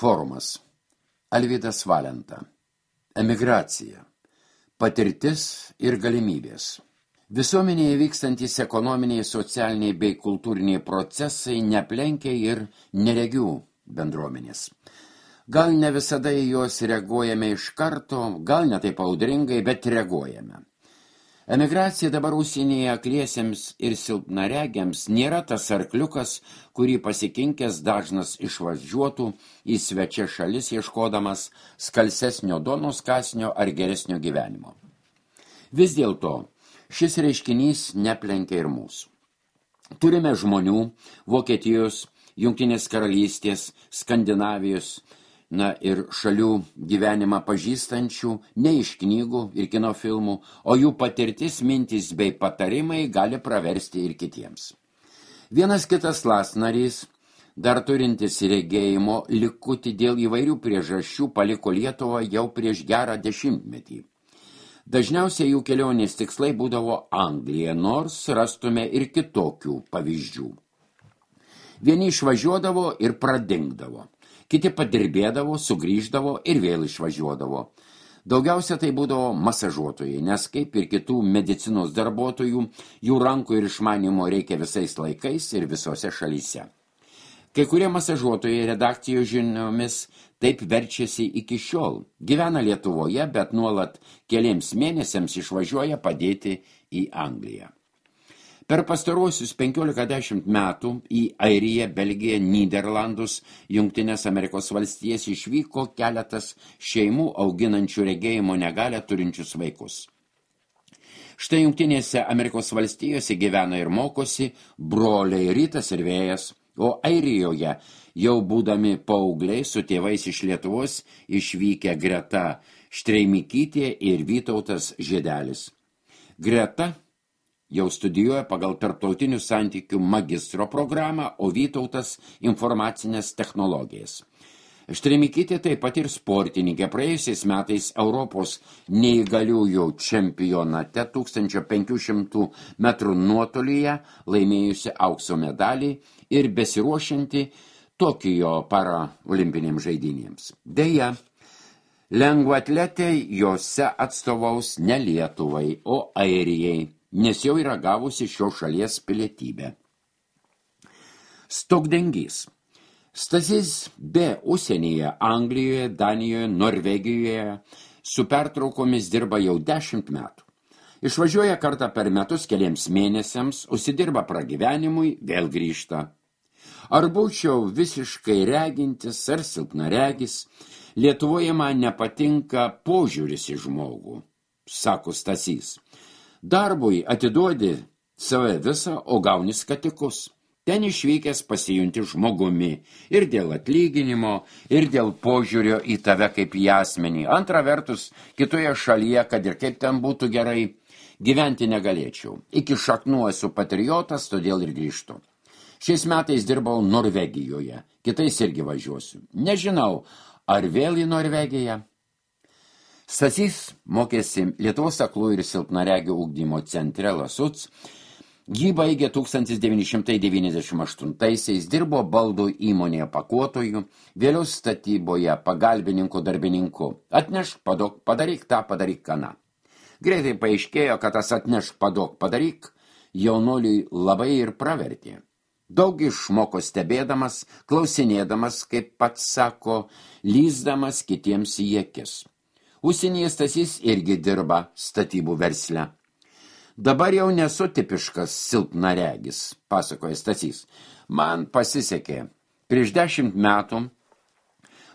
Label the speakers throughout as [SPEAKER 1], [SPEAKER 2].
[SPEAKER 1] Forumas. Alvydas Valenta. Emigracija. Patirtis ir galimybės. Visuomenėje vykstantys ekonominiai, socialiniai bei kultūriniai procesai neplenkia ir neregių bendruomenės. Gal ne visada į juos reaguojame iš karto, gal ne taip audringai, bet reaguojame. Emigracija dabar užsienyje akliesiems ir silpnaregiams nėra tas arkliukas, kurį pasikinkęs dažnas išvažiuotų į svečią šalis ieškodamas skalsesnio duonos kąsnio ar geresnio gyvenimo. Vis dėlto šis reiškinys neplenkia ir mūsų. Turime žmonių Vokietijos, Jungtinės karalystės, Skandinavijos, ir šalių gyvenimą pažįstančių, ne iš knygų ir kino filmų, o jų patirtis, mintys bei patarimai gali praversti ir kitiems. Vienas kitas lasnarys, dar turintis regėjimo likutį dėl įvairių priežasčių, paliko Lietuvą jau prieš gerą 10-metį. Dažniausiai jų kelionės tikslai būdavo Anglija, nors rastume ir kitokių pavyzdžių. Vieni išvažiuodavo ir pradingdavo. Kiti padirbėdavo, sugrįždavo ir vėl išvažiuodavo. Daugiausia tai būdavo masažuotojai, nes kaip ir kitų medicinos darbuotojų, jų rankų ir išmanimo reikia visais laikais ir visose šalyse. Kai kurie masažuotojai redakcijos žiniomis taip verčiasi iki šiol. Gyvena Lietuvoje, bet nuolat keliems mėnesiams išvažiuoja padėti į Angliją. Per pastaruosius 15 metų į Airiją, Belgiją, Nyderlandus, Jungtines Amerikos valstijas išvyko keletas šeimų auginančių regėjimo negalią turinčius vaikus. Štai Jungtinėse Amerikos valstijose gyvena ir mokosi broliai Rytas ir Vėjas, o Airijoje jau būdami paaugliai su tėvais iš Lietuvos išvykę Greta Štreimikytė ir Vytautas Žiedelis. Greta jau studijuoja pagal tarptautinių santykių magistro programą, o Vytautas informacinės technologijas. Štreimikytė taip pat ir sportininkė, praėjusiais metais Europos neįgaliųjų čempionate 1500 metrų nuotolyje laimėjusi aukso medalį ir besiruošianti Tokijo paraolimpinėms žaidynėms. Deja, lengvaatletė jose atstovaus ne Lietuvai, o Airijai, nes jau yra gavusi šios šalies pilietybę. Stogdengys. Stasys B. užsienyje, Anglijoje, Danijoje, Norvegijoje su pertraukomis dirba jau 10 metų. Išvažiuoja kartą per metus keliems mėnesiams, užsidirba pragyvenimui, vėl grįžta. Ar būčiau visiškai regintis ar silpnaregis, Lietuvoje man nepatinka požiūris į žmogų, sako Stasys. Darbui atiduodi save visą, o gauni skatikus. Ten išvykęs pasijunti žmogumi ir dėl atlyginimo, ir dėl požiūrio į tave kaip į asmenį. Antra vertus, kitoje šalyje, kad ir kaip ten būtų gerai, gyventi negalėčiau. Iki šaknų esu patriotas, todėl ir grįžtu. Šiais metais dirbau Norvegijoje, kitais irgi važiuosiu. Nežinau, ar vėl į Norvegiją? Stasys mokėsi Lietuvos aklųjų ir silpnaregių ugdymo centre Lasuc. Jį baigė 1998-aisiais, dirbo baldų įmonėje pakuotojų, vėliau statyboje pagalbininku darbininku. Atnešk, padok, padaryk tą, padaryk kaną. Greitai paaiškėjo, kad tas atnešk, padok, padaryk jaunuoliui labai ir pravertė. Daug išmoko stebėdamas, klausinėdamas, kaip pats sako, lįsdamas kitiems į akis. Užsienyje Stasys irgi dirba statybų versle. Dabar jau nesu tipiškas silpnaregis, pasakoja Stasys. Man pasisekė. Prieš 10 metų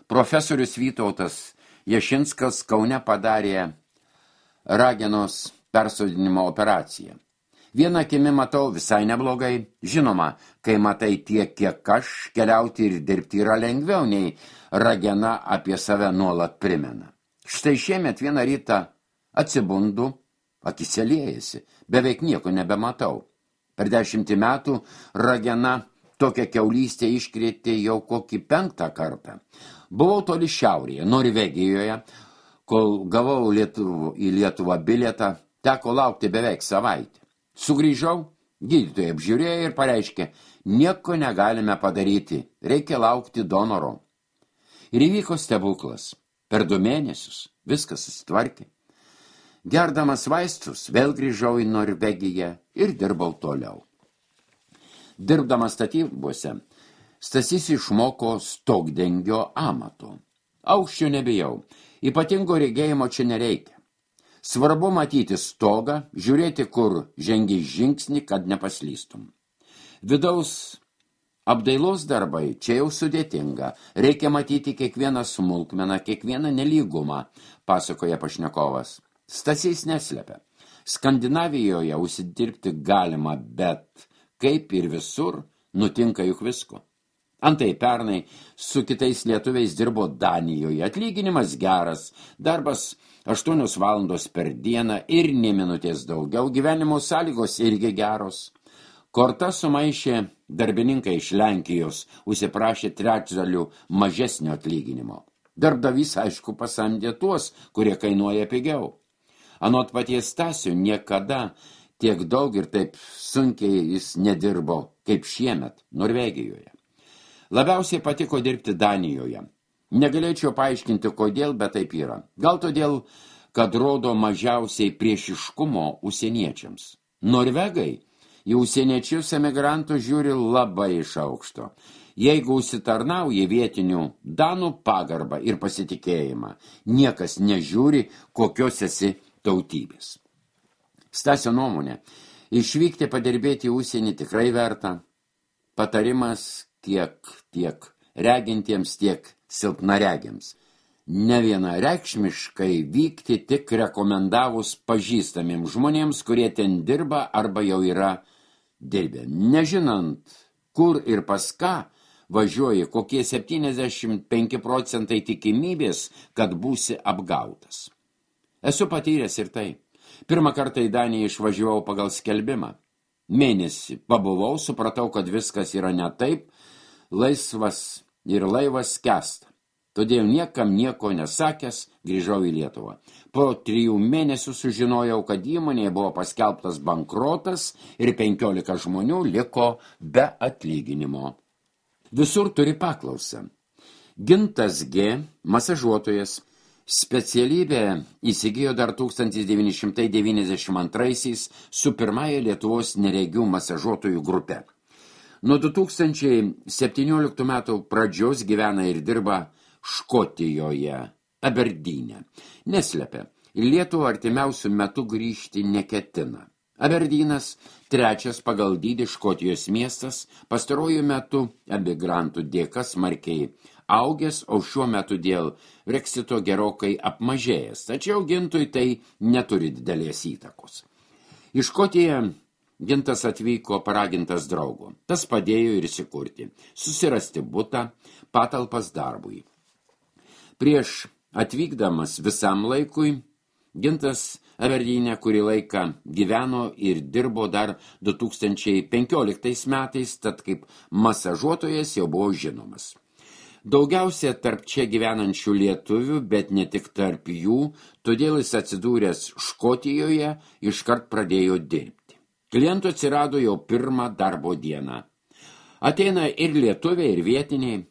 [SPEAKER 1] profesorius Vytautas Jašinskas Kaune padarė ragenos persodinimo operaciją. Vieną akimi matau visai neblogai. Žinoma, kai matai tiek, kiek aš, keliauti ir dirbti yra lengviau, nei ragena apie save nuolat primena. Štai šiemet vieną rytą atsibundu, akise liejasi, beveik nieko nebematau. Per 10 metų ragena tokią kiaulystę iškrėtė jau kokį 5 kartą. Buvau toli šiaurėje, Norvegijoje, kol gavau į Lietuvą bilietą, teko laukti beveik savaitę. Sugrįžau, gydytojai apžiūrėjo ir pareiškė, nieko negalime padaryti, reikia laukti donoro. Ir įvyko stebuklas. Per 2 mėnesius viskas susitvarkė. Gerdamas vaistus vėl grįžau į Norvegiją ir dirbau toliau. Dirbdamas statybose, Stasys išmoko stogdengio amato. Aukščio nebijau, ypatingo regėjimo čia nereikia. Svarbu matyti stogą, žiūrėti, kur žengi žingsnį, kad nepaslystum. Vidaus apdailos darbai čia jau sudėtinga. Reikia matyti kiekvieną smulkmeną, kiekvieną nelygumą, pasakoja pašnekovas. Stasys neslepia. Skandinavijoje užsidirbti galima, bet kaip ir visur, nutinka juk visko. Antai pernai su kitais lietuviais dirbo Danijoje. Atlyginimas geras, darbas 8 valandos per dieną ir nė minutės daugiau, gyvenimo sąlygos irgi geros. Korta sumaišė darbininkai iš Lenkijos, užsiprašė 3/3 mažesnio atlyginimo. Darbdavys, aišku, pasamdė tuos, kurie kainuoja pigiau. Anot paties Stasio niekada tiek daug ir taip sunkiai jis nedirbo kaip šiemet Norvegijoje. Labiausiai patiko dirbti Danijoje. Negalėčiau paaiškinti, kodėl, bet taip yra. Gal todėl, kad rodo mažiausiai priešiškumo užsieniečiams. Norvegai į užsieniečius emigrantus žiūri labai iš aukšto. Jeigu užsitarnauja vietinių danų pagarbą ir pasitikėjimą, niekas nežiūri, kokios esi tautybės. Stasio nuomonė, išvykti padirbėti į užsienį tikrai verta. Patarimas tiek regintiems, tiek silpnaregiams. Nevienareikšmiškai vykti tik rekomendavus pažįstamiems žmonėms, kurie ten dirba arba jau yra dirbę. Nežinant, kur ir pas ką važiuoji, kokie 75 procentai tikimybės, kad būsi apgautas. Esu patyręs ir tai. Pirmą kartą į Daniją išvažiavau pagal skelbimą. Mėnesį pabuvau, supratau, kad viskas yra ne taip, laisvas ir laivas skęsta. Todėl niekam nieko nesakęs grįžau į Lietuvą. Po 3 mėnesių sužinojau, kad įmonėje buvo paskelbtas bankrotas ir 15 žmonių liko be atlyginimo. Visur turi paklausą. Gintas G., masažuotojas, specialybę įsigijo dar 1992 su pirmąja Lietuvos neregių masažuotojų grupe. Nuo 2017 metų pradžios gyvena ir dirba Škotijoje, Aberdyne. Neslepia, į Lietuvą artimiausių metų grįžti neketina. Aberdynas, 3. pagal dydį Škotijos miestas, pastaruoju metu emigrantų dėka smarkiai augęs, o šiuo metu dėl Brexito gerokai apmažėjęs, tačiau Gintui tai neturi didelės įtakos. Į Škotiją Gintas atvyko paragintas draugo. Tas padėjo ir įsikurti, susirasti butą, patalpas darbui. Prieš atvykdamas visam laikui, Gintas Aberdyne kurį laiką gyveno ir dirbo dar 2015 metais, tad kaip masažuotojas jau buvo žinomas. Daugiausia tarp čia gyvenančių lietuvių, bet ne tik tarp jų, todėl jis atsidūręs Škotijoje iškart pradėjo dirbti. Klientų atsirado jau 1 darbo dieną. Ateina ir lietuviai, ir vietiniai.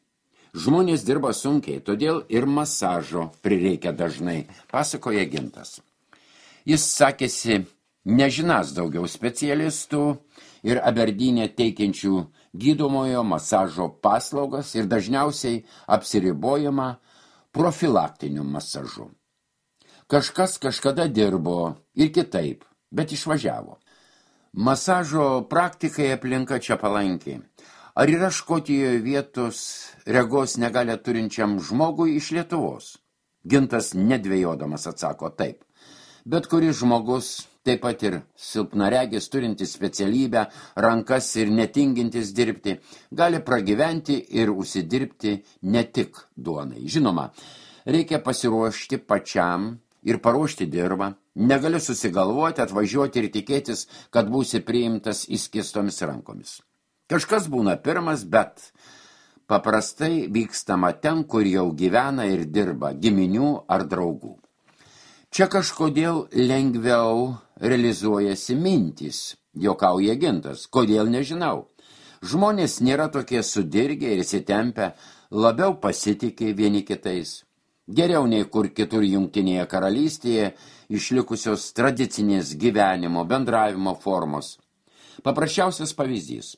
[SPEAKER 1] Žmonės dirba sunkiai, todėl ir masažo prireikia dažnai, pasakoja Gintas. Jis sakėsi, nežinas daugiau specialistų ir Aberdyne teikiančių gydomojo masažo paslaugas ir dažniausiai apsiribojama profilaktiniu masažu. Kažkas kažkada dirbo ir kitaip, bet išvažiavo. Masažo praktikai aplinka čia palankiai. Ar yra Škotijoje vietos regos negalę turinčiam žmogui iš Lietuvos? Gintas nedvejodamas atsako taip. Bet kuris žmogus, taip pat ir silpnaregis turintis specialybę, rankas ir netingintis dirbti, gali pragyventi ir užsidirbti ne tik duonai. Žinoma, reikia pasiruošti pačiam ir paruošti dirvą. Negali susigalvoti, atvažiuoti ir tikėtis, kad būsi priimtas įskistomis rankomis. Kažkas būna pirmas, bet paprastai vykstama ten, kur jau gyvena ir dirba giminių ar draugų. Čia kažkodėl lengviau realizuojasi mintys, juokauja Gintas. Kodėl nežinau. Žmonės nėra tokie sudirgę ir įsitempę, labiau pasitikė vieni kitais. Geriau nei kur kitur Jungtinėje karalystėje išlikusios tradicinės gyvenimo, bendravimo formos. Paprasčiausias pavyzdys.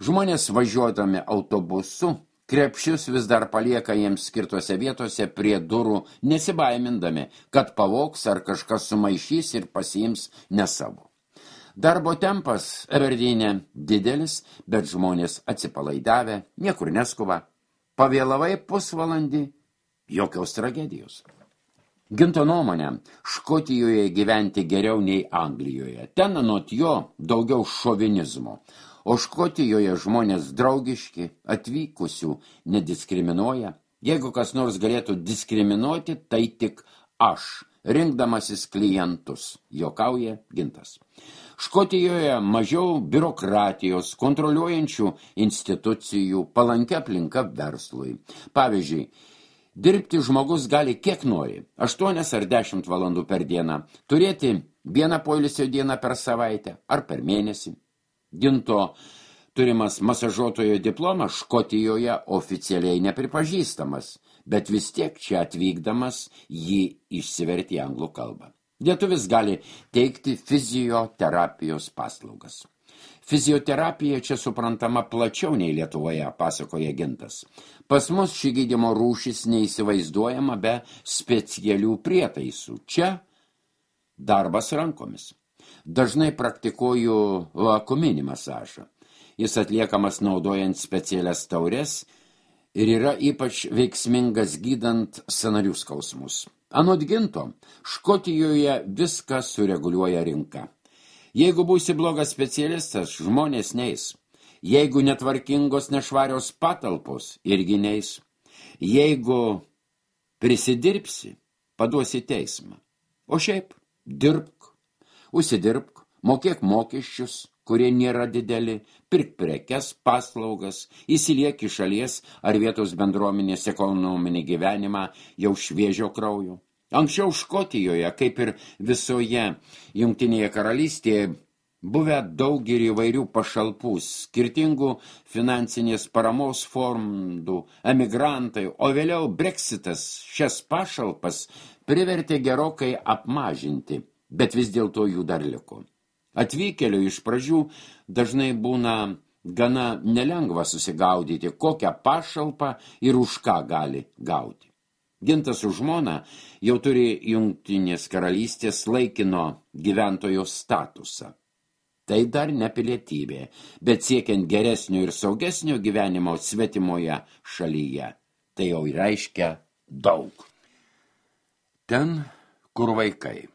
[SPEAKER 1] Žmonės važiuodami autobusu krepšius vis dar palieka jiems skirtose vietose prie durų, nesibaimindami, kad pavogs ar kažkas sumaišys ir pasiims ne savo. Darbo tempas Aberdeen'e didelis, bet žmonės atsipalaidavę, niekur neskuba. Pavėlavai pusvalandį, jokios tragedijos. Ginto nuomonė, Škotijoje gyventi geriau nei Anglijoje. Ten anot jo daugiau šovinizmo. O Škotijoje žmonės draugiški, atvykusių nediskriminuoja. Jeigu kas nors galėtų diskriminuoti, tai tik aš, rinkdamasis klientus, juokauja Gintas. Škotijoje mažiau biurokratijos, kontroliuojančių institucijų, palankia aplinka verslui. Pavyzdžiui, dirbti žmogus gali kiek nori, 8 ar 10 valandų per dieną, turėti vieną poilsio dieną per savaitę ar per mėnesį. Ginto turimas masažuotojo diplomas Škotijoje oficialiai nepripažįstamas, bet vis tiek čia atvykdamas jį išsiverti į anglų kalbą. Lietuvis gali teikti fizioterapijos paslaugas. Fizioterapija čia suprantama plačiau nei Lietuvoje, pasakoja Gintas. Pas mus ši gydymo rūšis neįsivaizduojama be specialių prietaisų. Čia darbas rankomis. Dažnai praktikuoju vakuuminį masažą. Jis atliekamas naudojant specialias taures ir yra ypač veiksmingas gydant sąnarių skausmus. Anot Ginto, Škotijoje viską sureguliuoja rinka. Jeigu būsi blogas specialistas, žmonės neis. Jeigu netvarkingos nešvarios patalpos, irgi neis. Jeigu prisidirbsi, paduosi teismą. O šiaip, dirbk, užsidirbk, mokėk mokesčius, kurie nėra dideli, pirk prekes, paslaugas, įsiliek į šalies ar vietos bendruomenės ekonominį gyvenimą jau šviežio kraujo. Anksčiau Škotijoje, kaip ir visoje Jungtinėje karalystėje, buvę daug ir įvairių pašalpų, skirtingų finansinės paramos fondų, emigrantai, o vėliau Brexitas šias pašalpas privertė gerokai apmažinti, bet vis dėlto jų dar liko. Atvykėlių iš pradžių dažnai būna gana nelengva susigaudyti, kokią pašalpą ir už ką gali gauti. Gintas su žmona jau turi Jungtinės karalystės laikino gyventojo statusą. Tai dar ne pilietybė, bet siekiant geresnio ir saugesnio gyvenimo svetimoje šalyje. Tai jau reiškia daug. Ten, kur vaikai.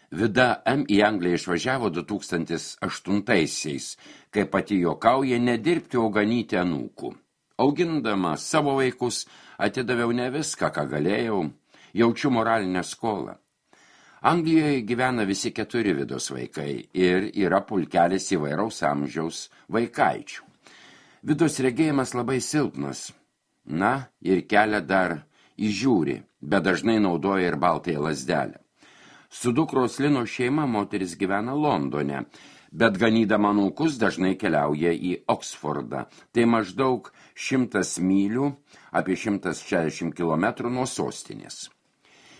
[SPEAKER 1] Vida M. į Angliją išvažiavo 2008-aisiais, kai pati juokauja nedirbti, o ganyti anūkų. Augindama savo vaikus, atidaviau ne viską, ką galėjau, jaučiu moralinę skolą. Anglijoje gyvena visi 4 Vidos vaikai ir yra pulkelis įvairaus amžiaus vaikaičių. Vidos regėjimas labai silpnas, ir kelią dar įžiūri, bet dažnai naudoja ir baltąją lazdelę. Su dukros Lino šeima moteris gyvena Londone, bet ganydama anūkus dažnai keliauja į Oksfordą. Tai maždaug 100 mylių, apie 160 km nuo sostinės.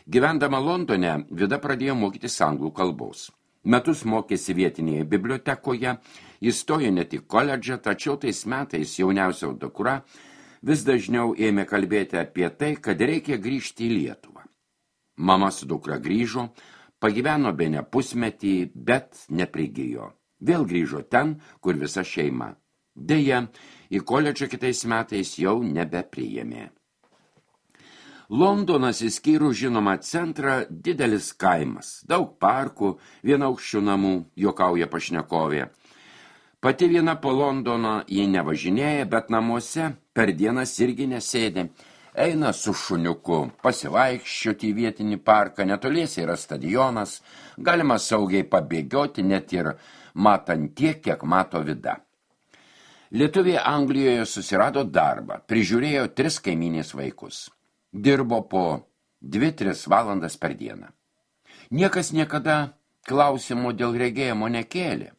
[SPEAKER 1] Gyvendama Londone, Vida pradėjo mokytis anglų kalbos. Metus mokėsi vietinėje bibliotekoje, įstojo ne tik koledžą, tačiau tais metais jauniausia dukra vis dažniau ėmė kalbėti apie tai, kad reikia grįžti į Lietuvą. Mama su dukra grįžo, pagyveno bene pusmetį, bet neprigijo. Vėl grįžo ten, kur visa šeima. Deja, į koledžą kitais metais jau nebepriėmė. Londonas išskyrus žinomą centrą didelis kaimas, daug parkų, vienaukščių namų, juokauja pašnekovė. Pati viena po Londoną jie nevažinėja, bet namuose per dienas irgi nesėdi. Eina su šuniuku, pasivaikščioti į vietinį parką, netoliese yra stadionas, galima saugiai pabėgioti net ir matant tiek, kiek mato Vida. Lietuvė Anglijoje susirado darbą, prižiūrėjo 3 kaimynės vaikus. Dirbo po 2-3 valandas per dieną. Niekas niekada klausimo dėl regėjimo nekėlė.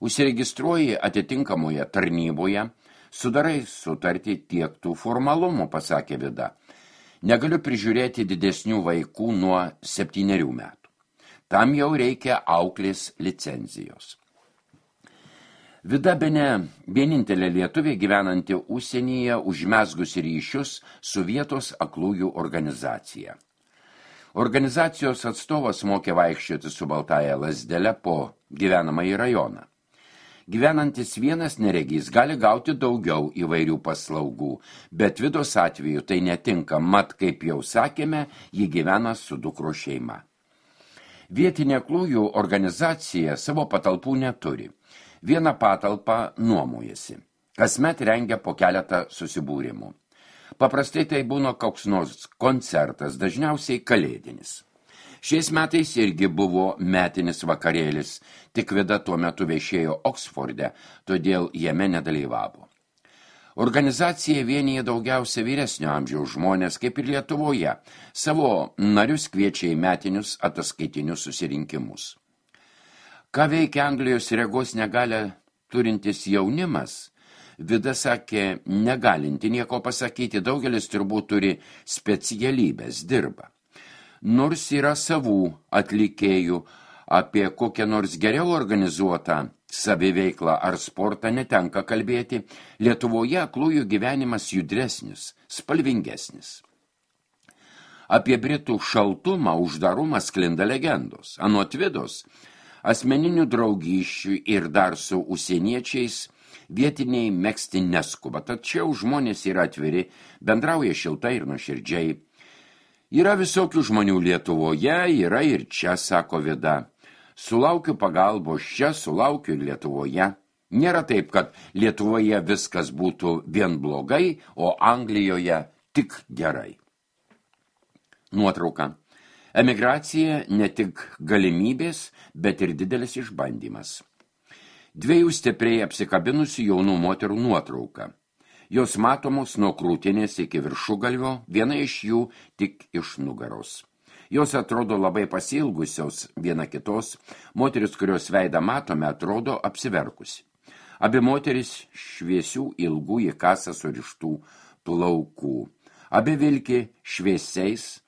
[SPEAKER 1] Užsiregistruoji atitinkamoje tarnyboje, Sudarai sutartį tiek tų formalumų, pasakė Vida. Negaliu prižiūrėti didesnių vaikų nuo 7 metų. Tam jau reikia auklės licenzijos. Vida bene vienintelė lietuvė gyvenanti užsienyje užmezgusi ryšius su vietos aklųjų organizacija. Organizacijos atstovas mokė vaikščioti su baltaja lazdele po gyvenamąjį rajoną. Gyvenantis vienas neregys gali gauti daugiau įvairių paslaugų, bet Vidos atveju tai netinka, mat, kaip jau sakėme, ji gyvena su dukro šeima. Vietinė aklųjų organizacija savo patalpų neturi. Vieną patalpą nuomojasi. Kasmet rengia po keletą susibūrimų. Paprastai tai būna koks nors koncertas, dažniausiai kalėdinis. Šiais metais irgi buvo metinis vakarėlis, tik Vida tuo metu viešėjo Oksforde, todėl jame nedalyvavo. Organizacija vienyje daugiausia vyresnio amžiaus žmonės, kaip ir Lietuvoje, savo narius kviečia į metinius ataskaitinius susirinkimus. Ką veikia Anglijos regos negalią turintis jaunimas? Vida sakė, negalinti nieko pasakyti, daugelis turbūt turi specialybės, dirba. Nors yra savų atlikėjų, apie kokią nors geriau organizuotą saviveiklą ar sportą netenka kalbėti, Lietuvoje aklųjų gyvenimas judresnis, spalvingesnis. Apie Britų šaltumą, uždarumą sklinda legendos. Anot Vidos, asmeninių draugysčių ir dar su užsieniečiais vietiniai megzti neskuba, tačiau žmonės yra atviri, bendrauja šiltai ir nuoširdžiai. Yra visokių žmonių Lietuvoje, yra ir čia, sako Vida. Sulaukiu pagalbos čia, sulaukiu ir Lietuvoje. Nėra taip, kad Lietuvoje viskas būtų vien blogai, o Anglijoje tik gerai. Nuotrauka. Emigracija ne tik galimybės, bet ir didelis išbandymas. 2 stipriai apsikabinusių jaunų moterų nuotrauka. Jos matomos nuo krūtinės iki viršugalvio, viena iš jų tik iš nugaros. Jos atrodo labai pasiilgusios viena kitos, moteris, kurios veidą matome, atrodo apsiverkusi. Abi moteris šviesių ilgų į kasą surištų plaukų. Abi vilki šviesiais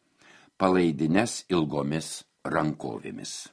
[SPEAKER 1] palaidines ilgomis rankovėmis.